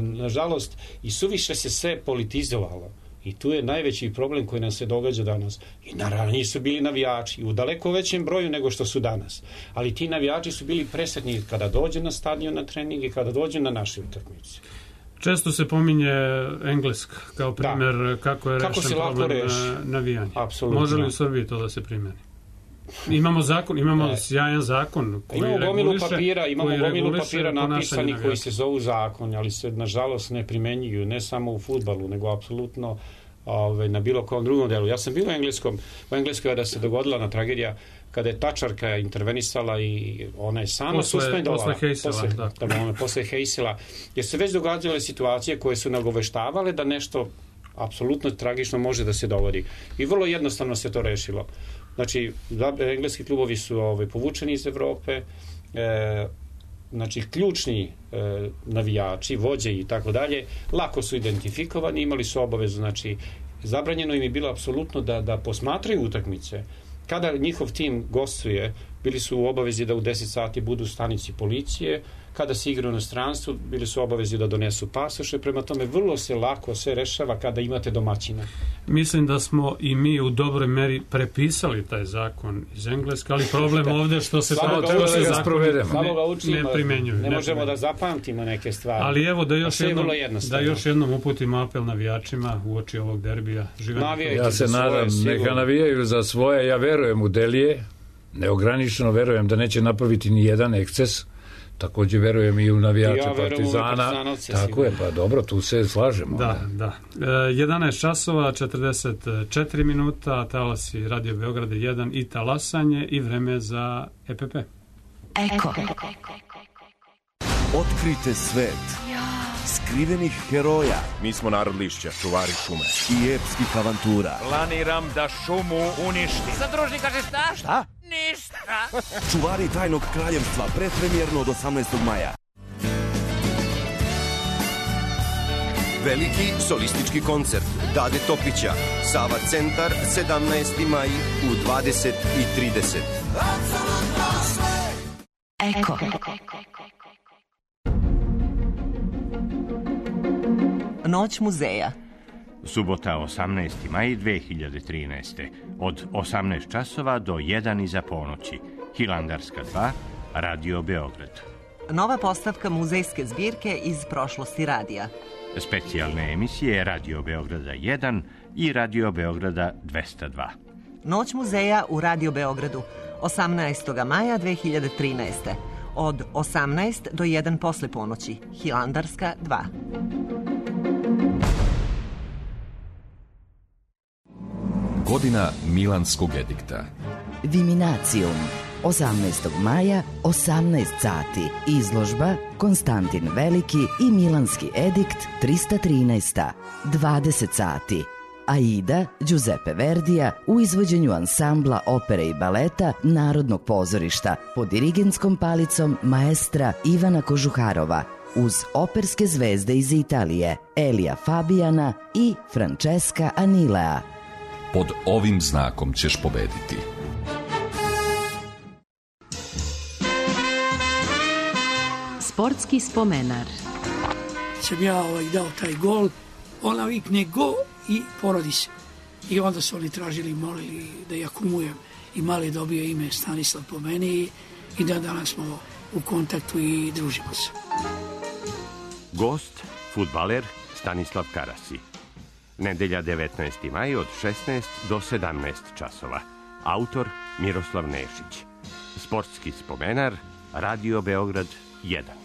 Nažalost, i suviše se sve politizovalo. I tu je najveći problem koji nam se događa danas. I naravno nisu bili navijači u daleko većem broju nego što su danas. Ali ti navijači su bili presretni kada dođu na stadion na trening i kada dođu na naše utakmice. Često se pominje Engleska kao primjer da. Kako je kako rešen problem reš? navijanja. Apsolutno. Može li u Srbiji to da se primeni? Imamo zakon, imamo ne. sjajan zakon koji imamo reguliše, gomilu papira, imamo gomilu papira napisani koji se zovu zakon, ali se nažalost ne primenjuju, ne samo u fudbalu, nego apsolutno ove, na bilo kom drugom delu. Ja sam bio u engleskom, u Engleskoj kada se dogodila na tragedija kada je tačarka intervenisala i ona je sama posle, suspendovala. Posle Hejsela, posle, da. da ona, posle Hejsela. Jer su već događale situacije koje su nagoveštavale da nešto apsolutno tragično može da se dogodi. I vrlo jednostavno se to rešilo. Znači, engleski klubovi su ovaj, povučeni iz Evrope, e, znači, ključni e, navijači, vođe i tako dalje, lako su identifikovani, imali su obavezu, znači, zabranjeno im je bilo apsolutno da, da posmatraju utakmice. Kada njihov tim gostuje, bili su u obavezi da u deset sati budu u stanici policije, kada se igra u inostranstvu, bili su obavezi da donesu pasoše, prema tome vrlo se lako sve rešava kada imate domaćina. Mislim da smo i mi u dobroj meri prepisali taj zakon iz Engleske, ali problem ovde što se Samo to se ga zakon ne, ne primenjuju. Ne, ne možemo da zapamtimo neke stvari. Ali evo da još, jednom, da još jednom uputimo apel navijačima u oči ovog derbija. Ja se nadam, neka navijaju za svoje, ja verujem u Delije, neograničeno verujem da neće napraviti ni jedan eksces. Takođe verujem i u navijače ja Partizana. Tako je, pa dobro, tu se slažemo. Da, da. E, jedanaest časova, četrdeset četiri minuta, talasi Radio Beograda jedan i talasanje i vreme za E P P. Eko. Otkrite svet skrivenih heroja. Mi smo narod lišća, čuvari šume. I epskih avantura. Planiram da šumu uništim. Zadružni kaže šta? Šta? Ništa. Čuvari tajnog kraljevstva, predpremjerno od osamnaestog maja. Veliki solistički koncert Dade Topića, Sava centar, sedamnaesti maj u dvadeset i trideset. Eko. Noć muzeja. Subota osamnaesti maj dve hiljade trinaeste. Od osamnaest časova do jedan iza ponoći. Hilandarska dva, Radio Beograd. Nova postavka muzejske zbirke iz prošlosti radija. Specijalne emisije Radio Beograda jedan i Radio Beograda dvesta dva. Noć muzeja u Radio Beogradu. osamnaestog maja dve hiljade trinaeste. Od osamnaest do jedan posle ponoći. Hilandarska dva. Godina Milanskog edikta. Viminacijum. osamnaestog maja, osamnaest sati. Izložba Konstantin Veliki i Milanski edikt trista trinaest. dvadeset sati. Aida Giuseppe Verdija u izvođenju ansambla opere i baleta Narodnog pozorišta pod dirigentskom palicom maestra Ivana Kožuharova uz operske zvezde iz Italije Elija Fabiana i Francesca Anilea. Pod ovim znakom ćeš pobediti. Sportski spomenar. Sam ja ovaj dao taj gol, ona vikne go i porodi se. I onda su oni tražili, molili da ja kumujem i mali dobio ime Stanislav po meni i da danas smo u kontaktu i družimo se. Gost, fudbaler Stanislav Karasi. Nedelja devetnaesti maj od šesnaest do sedamnaest časova. Autor Miroslav Nešić. Sportski spomenar Radio Beograd jedan.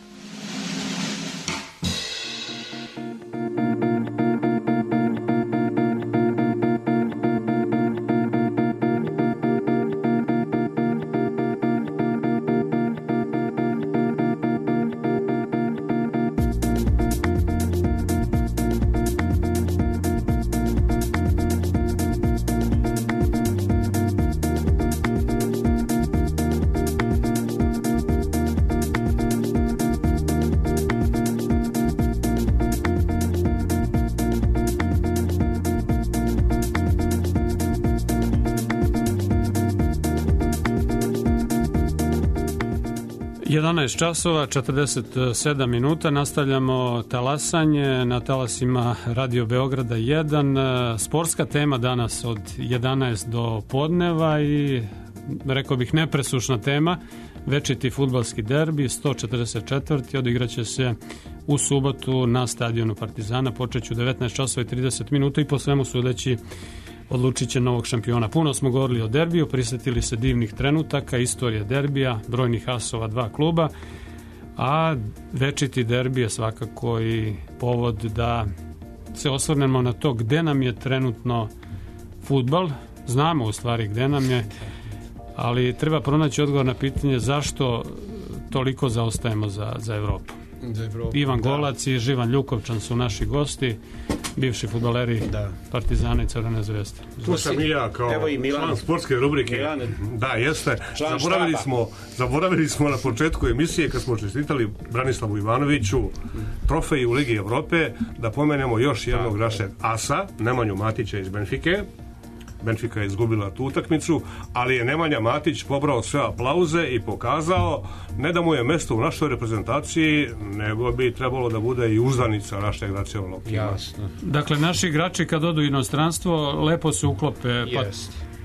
jedanaest časova, četrdeset sedam minuta, nastavljamo talasanje na talasima Radio Beograda jedan. Sportska tema danas od jedanaest do podneva i rekao bih nepresušna tema, večiti fudbalski derbi, sto četrdeset četiri. odigraće se u subotu na stadionu Partizana, počeću devetnaest časova i trideset minuta i po svemu sudeći odlučit će novog šampiona. Puno smo govorili o derbiju, prisjetili se divnih trenutaka, istorije derbija, brojnih asova dva kluba, a večiti derbi je svakako i povod da se osvrnemo na to gde nam je trenutno fudbal. Znamo u stvari gde nam je, ali treba pronaći odgovor na pitanje zašto toliko zaostajemo za, za Evropu. Ivan Golac i Živan Ljukovčan su naši gosti, bivši fudbaleri da. Partizana i Crvene zvezde. Tu sam i ja kao član sportske rubrike. Milan. Da, jeste. Zaboravili smo, zaboravili smo na početku emisije kad smo čestitali Branislavu Ivanoviću trofej u Ligi Evrope, da pomenemo još jednog našeg asa, Nemanju Matića iz Benfike. Benfica je izgubila tu utakmicu, ali je Nemanja Matić pobrao sve aplauze i pokazao ne da mu je mesto u našoj reprezentaciji, nego bi trebalo da bude i uzdanica našeg nacionalnog tima. Jasno. Dakle, naši igrači kad odu u inostranstvo lepo se uklope, pa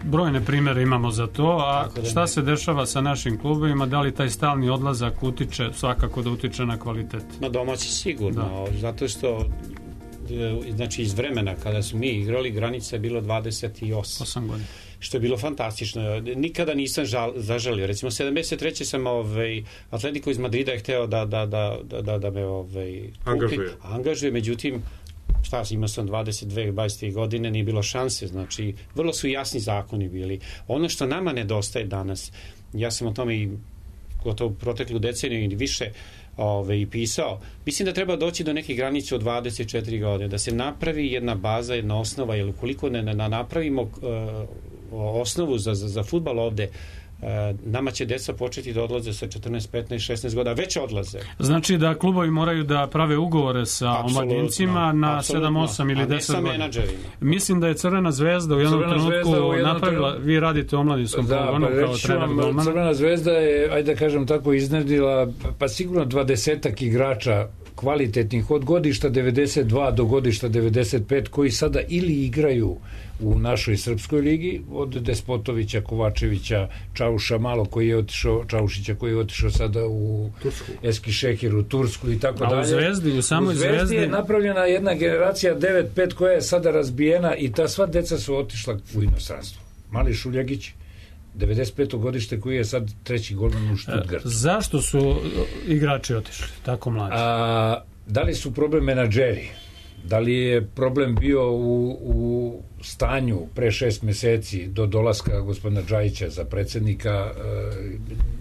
brojne primere imamo za to, a šta se dešava sa našim klubovima, da li taj stalni odlazak utiče, svakako da utiče na kvalitet? Na domaći sigurno, da. Zato što znači iz vremena kada su mi igrali, granica je bilo dvadeset osam godina. Što je bilo fantastično. Nikada nisam žal, zažalio. Recimo, sedamdeset treće sam ovaj, Atletico iz Madrida je hteo da, da, da, da, da me ovaj, angažuje. angažuje. Međutim, šta, imao sam dvadeset dve dvadeset godine, nije bilo šanse. Znači, vrlo su jasni zakoni bili. Ono što nama nedostaje danas, ja sam o tome i gotovo proteklu deceniju i više Ove, i pisao. Mislim da treba doći do neke granice od dvadeset četiri godine, da se napravi jedna baza, jedna osnova, jer ukoliko ne, ne napravimo uh, osnovu za, za, za fudbal ovde, uh, nama će deca početi da odlaze sa četrnaest, petnaest, šesnaest godina, već odlaze. Znači da klubovi moraju da prave ugovore sa omladincima na sedam, osam ili deset godina. Mislim da je Crvena zvezda u jednom Crvena trenutku u jednom napravila, trenutku... vi radite u omladinskom da, pogonu pa kao trener golmana. Crvena zvezda je, ajde da kažem tako, iznedila pa sigurno dvadesetak igrača kvalitetnih od godišta devedeset dva do godišta devedeset pet koji sada ili igraju u našoj srpskoj ligi, od Despotovića, Kovačevića, Čauša malo koji je otišao, Čaušića koji je otišao sada u Tursku, Eskişehir, u Tursku i tako dalje. A u Zvezdi, u samoj u Zvezdi, Zvezdi je napravljena jedna generacija devet pet koja je sada razbijena i ta sva deca su otišla u inostranstvo. Mali Šuljagić, devedeset peto godište koji je sad treći golman u Stuttgartu. Zašto su igrači otišli tako mlađi? A, da li su problem menadžeri? Da li je problem bio u, u stanju pre šest meseci do dolaska gospodina Džajića za predsjednika,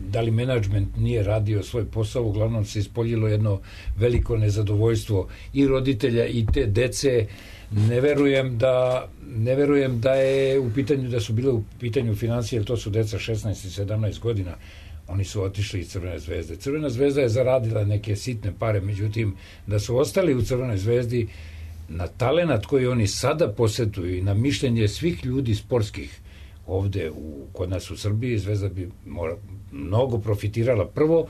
da li menadžment nije radio svoj posao? Uglavnom se ispoljilo jedno veliko nezadovoljstvo i roditelja i te dece. Ne verujem da ne verujem da je u pitanju da su bile u pitanju financije, jer to su deca šesnaest i sedamnaest godina. Oni su otišli iz Crvene zvezde. Crvena zvezda je zaradila neke sitne pare, međutim, da su ostali u Crvenoj zvezdi, na talenat koji oni sada posetuju i na mišljenje svih ljudi sportskih ovde u, kod nas u Srbiji, Zvezda bi mora, mnogo profitirala prvo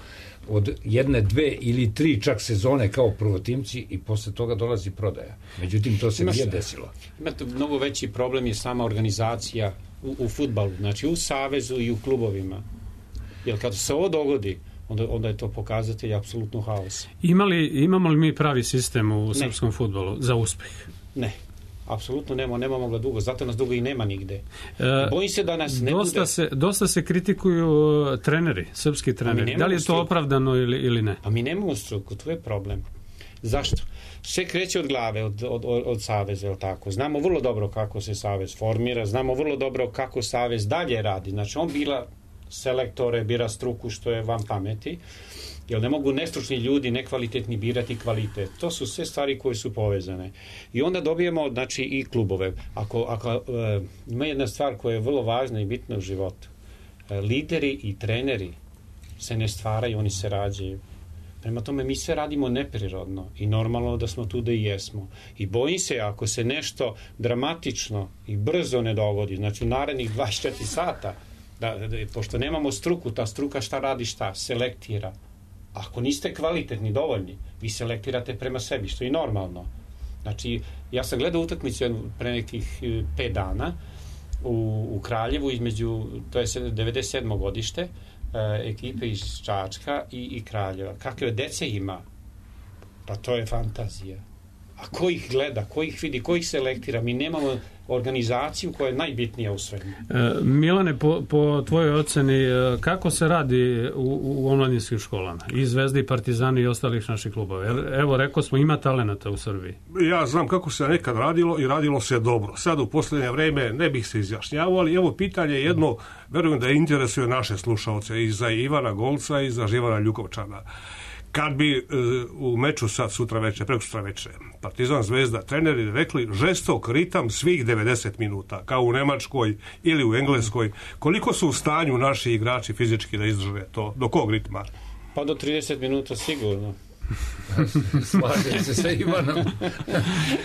od jedne, dve ili tri čak sezone kao prvotimci i posle toga dolazi prodaja. Međutim, to se nije desilo. Imate mnogo veći problem je sama organizacija u, u fudbalu, znači u savezu i u klubovima. Jer kad se ovo dogodi, onda, onda je to pokazatelj apsolutno haos. Imali, imamo li mi pravi sistem u ne. srpskom fudbalu za uspeh? Ne. Apsolutno nema, nema mogla dugo, zato nas dugo i nema nigde. E, Bojim se da nas ne dosta bude... Se, dosta se kritikuju treneri, srpski treneri. Da li je to struku. opravdano ili, ili ne? A mi nemamo struku, to je problem. Zašto? Sve kreće od glave, od, od, od, od saveza, je li tako? Znamo vrlo dobro kako se savez formira, znamo vrlo dobro kako savez dalje radi. Znači, on bila selektore, bira struku što je van pameti, jer ne mogu nestručni ljudi, nekvalitetni birati kvalitet. To su sve stvari koje su povezane. I onda dobijemo, znači, i klubove. Ako, ako e, ima jedna stvar koja je vrlo važna i bitna u životu. E, lideri i treneri se ne stvaraju, oni se rađaju. Prema tome, mi sve radimo neprirodno i normalno da smo tu da i jesmo. I bojim se, ako se nešto dramatično i brzo ne dogodi, znači u narednih dvadeset četiri sata, da, da, pošto nemamo struku, ta struka šta radi, šta? Selektira. Ako niste kvalitetni, dovoljni, vi selektirate prema sebi, što je normalno. Znači, ja sam gledao utakmicu pre nekih pet dana u, u Kraljevu između, to je devedeset sedmo godište, e, ekipe iz Čačka i, i Kraljeva. Kakve dece ima? Pa to je fantazija. A ko ih gleda, ko ih vidi, ko ih selektira? Mi nemamo organizaciju koja je najbitnija u svemu. E, Milane, po, po tvojoj oceni, kako se radi u, u omladinskim školama? I Zvezda i Partizani i ostalih naših klubova. Evo, rekao smo, ima talenata u Srbiji. Ja znam kako se nekad radilo i radilo se dobro. Sad u posljednje vreme ne bih se izjašnjavao, ali evo pitanje jedno, verujem da interesuje naše slušalce i za Ivana Golca i za Živana Ljukovčana. Kad bi e, u meču sad sutra večer, preko sutra večer, Partizan Zvezda, treneri rekli žestok ritam svih devedeset minuta, kao u Nemačkoj ili u Engleskoj, koliko su u stanju naši igrači fizički da izdrže to? Do kog ritma? Pa do trideset minuta sigurno. Slažem se sa Ivanom.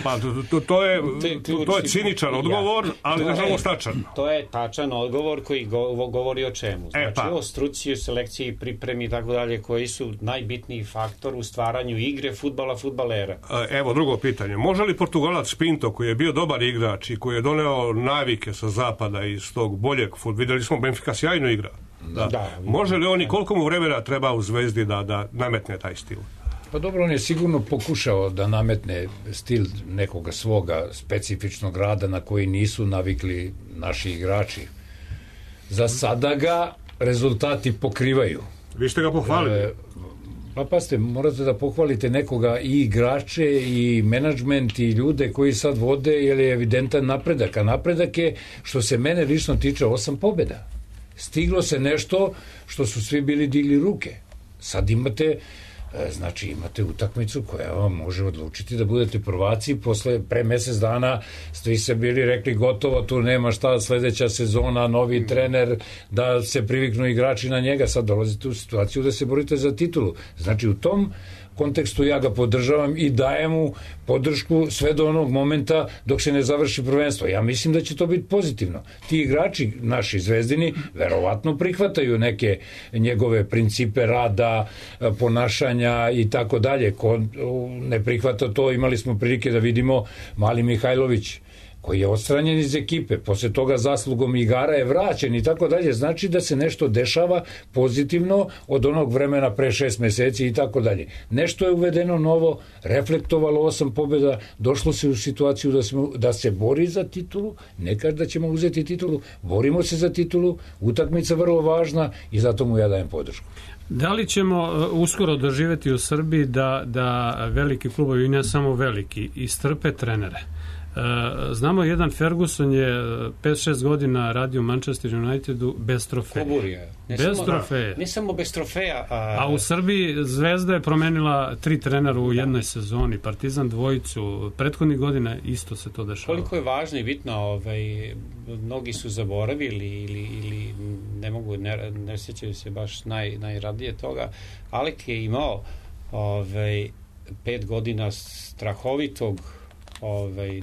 Pa to, to, je, to, to je ciničan odgovor, ali nažalost tačan. To je tačan odgovor koji go, govori o čemu. Znači e, pa. o struci, selekciji, pripremi i tako dalje, koji su najbitniji faktor u stvaranju igre fudbala, fudbalera. Evo drugo pitanje. Može li Portugalac Pinto, koji je bio dobar igrač i koji je doneo navike sa zapada iz tog boljeg fudbala, vidjeli smo Benfica sjajno igra. Da. Da, može li on i koliko mu vremena treba u Zvezdi da, da nametne taj stil? Pa dobro, on je sigurno pokušao da nametne stil nekoga svoga specifičnog rada na koji nisu navikli naši igrači. Za sada ga rezultati pokrivaju. Vi ste ga pohvalili. E, pa pasite, morate da pohvalite nekoga i igrače i menadžment i ljude koji sad vode, jer je evidentan napredak. A napredak je, što se mene lično tiče, osam pobjeda. Stiglo se nešto što su svi bili digli ruke. Sad imate... Znači imate utakmicu koja vam može odlučiti da budete prvaci. Posle, pre mesec dana ste se bili rekli gotovo, tu nema šta, sledeća sezona, novi trener, da se priviknu igrači na njega. Sad dolazite u situaciju da se borite za titulu. Znači u tom kontekstu ja ga podržavam i dajem mu podršku sve do onog momenta dok se ne završi prvenstvo. Ja mislim da će to biti pozitivno. Ti igrači, naši zvezdini, verovatno prihvataju neke njegove principe rada, ponašanja i tako dalje. Ko ne prihvata to, imali smo prilike da vidimo Mali Mihajlović, koji je odstranjen iz ekipe, posle toga zaslugom igara je vraćen i tako dalje, znači da se nešto dešava pozitivno od onog vremena pre šest meseci i tako dalje. Nešto je uvedeno novo, reflektovalo osam pobjeda, došlo se u situaciju da, smo, da se bori za titulu, ne kaže da ćemo uzeti titulu, borimo se za titulu, utakmica vrlo važna i zato mu ja dajem podršku. Da li ćemo uskoro doživeti u Srbiji da, da veliki klubovi, ne samo veliki, istrpe trenere? Znamo, jedan Ferguson je pet šest godina radio u Manchester Unitedu bez trofeja. Koburija. Bez samo, trofeja. Ne samo bez trofeja. A... a u Srbiji Zvezda je promenila tri trenera u jednoj sezoni, Partizan dvojicu, prethodnih godina isto se to dešava. Koliko je važno i bitno, ovaj, mnogi su zaboravili ili, ili ne mogu, ne, ne sjećaju se baš naj, najradije toga. Alek je imao ovaj, pet godina strahovitog ovaj,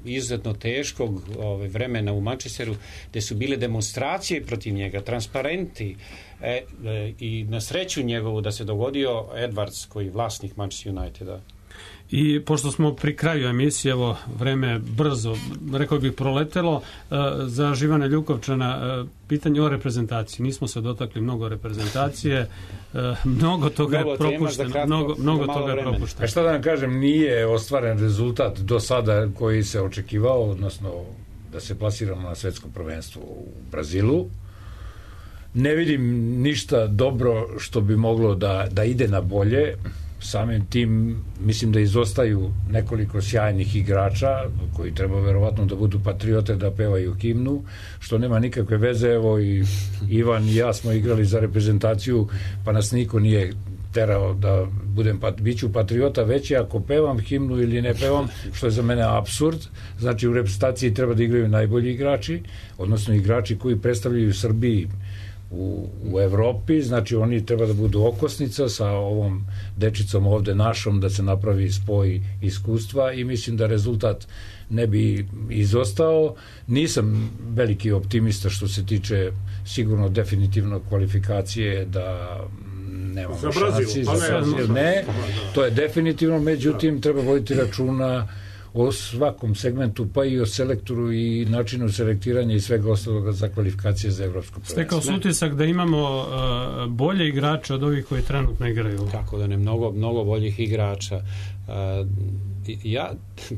izuzetno teškog ovaj, vremena u Manchesteru, gde su bile demonstracije protiv njega, transparenti e, e, i na sreću njegovu da se dogodio Edwards, koji je vlasnik Manchester Uniteda. I pošto smo pri kraju emisije, evo, vreme brzo, rekao bih, proletelo, za Živana Ljukovčana pitanje o reprezentaciji. Nismo se dotakli mnogo reprezentacije, mnogo toga je propušteno. Mnogo, mnogo toga je propušteno. A šta da vam kažem, nije ostvaren rezultat do sada koji se očekivao, odnosno da se plasiramo na svetsko prvenstvo u Brazilu. Ne vidim ništa dobro što bi moglo da, da ide na bolje. Samim tim mislim da izostaju nekoliko sjajnih igrača koji treba verovatno da budu patriote, da pevaju himnu, što nema nikakve veze. Evo i Ivan i ja smo igrali za reprezentaciju, pa nas niko nije terao da budem pat, biću patriota, već je ako pevam himnu ili ne pevam, što je za mene apsurd. Znači u reprezentaciji treba da igraju najbolji igrači, odnosno igrači koji predstavljaju Srbiji u, u Evropi, znači oni treba da budu okosnica sa ovom dečicom ovde našom, da se napravi spoj iskustva i mislim da rezultat ne bi izostao. Nisam veliki optimista što se tiče sigurno definitivno kvalifikacije, da nemamo šansi za Brazil, ne, to je definitivno, međutim treba voditi računa o svakom segmentu, pa i o selektoru i načinu selektiranja i svega ostaloga za kvalifikacije za evropsko prvenstvo. Stekao su utisak da imamo uh, bolje igrače od ovih koji trenutno igraju. Kako da ne, mnogo, mnogo boljih igrača. Uh, ja,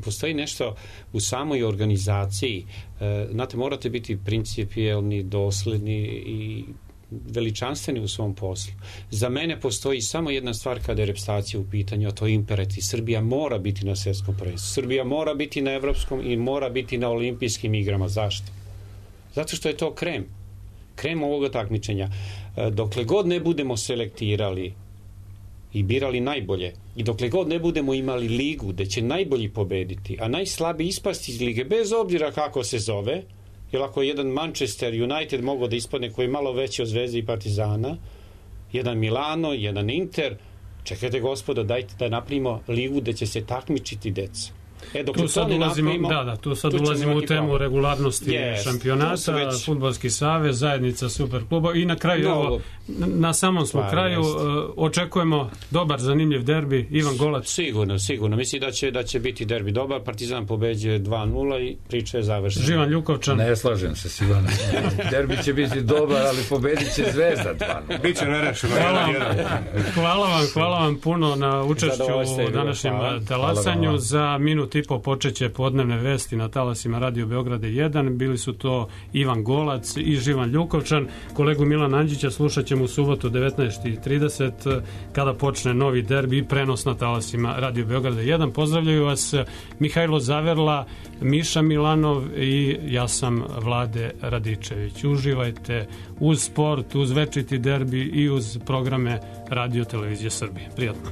postoji nešto u samoj organizaciji. Uh, znate, morate biti principijelni, dosledni i veličanstveni u svom poslu. Za mene postoji samo jedna stvar kada je reprezentacija u pitanju, a to je imperativ. Srbija mora biti na svetskom prvenstvu. Srbija mora biti na evropskom i mora biti na olimpijskim igrama. Zašto? Zato što je to krem. Krem ovoga takmičenja. Dokle god ne budemo selektirali i birali najbolje i dokle god ne budemo imali ligu gde će najbolji pobediti, a najslabiji ispasti iz lige, bez obzira kako se zove, jer ako je jedan Manchester United mogao da ispadne koji je malo veći od Zvezde i Partizana, jedan Milano, jedan Inter, čekajte gospodo, dajte da napravimo ligu gde će se takmičiti deca. E, dok tu sad ulazimo, napravimo, da, da, tu sad tu ulazimo u temu problem. regularnosti yes, šampionata, već... Fudbalski savez, zajednica superkluba i na kraju, no, evo, na samom smo kraju, uh, očekujemo dobar, zanimljiv derbi, Ivan Golac. Sigurno, sigurno. Mislim da će, da će biti derbi dobar, Partizan pobeđuje dva nula i priča je završena. Živan Ljukovčan. Ne slažem se s Ivanom. Derbi će biti dobar, ali pobedit će Zvezda dva nula. Biće nerešeno. Hvala, hvala vam, hvala vam puno na učešću u današnjem talasanju. Za minut i po počeće podnevne vesti na talasima Radio Beograda jedan. Bili su to Ivan Golac i Živan Ljukovčan. Kolegu Milana Andžića slušat ćemo u subotu devetnaest i trideset kada počne novi derbi i prenos na talasima Radio Beograda jedan. Pozdravljaju vas Mihajlo Zaverla, Miša Milanov i ja sam Vlade Radičević. Uživajte uz sport, uz večiti derbi i uz programe Radio Televizije Srbije. Prijatno.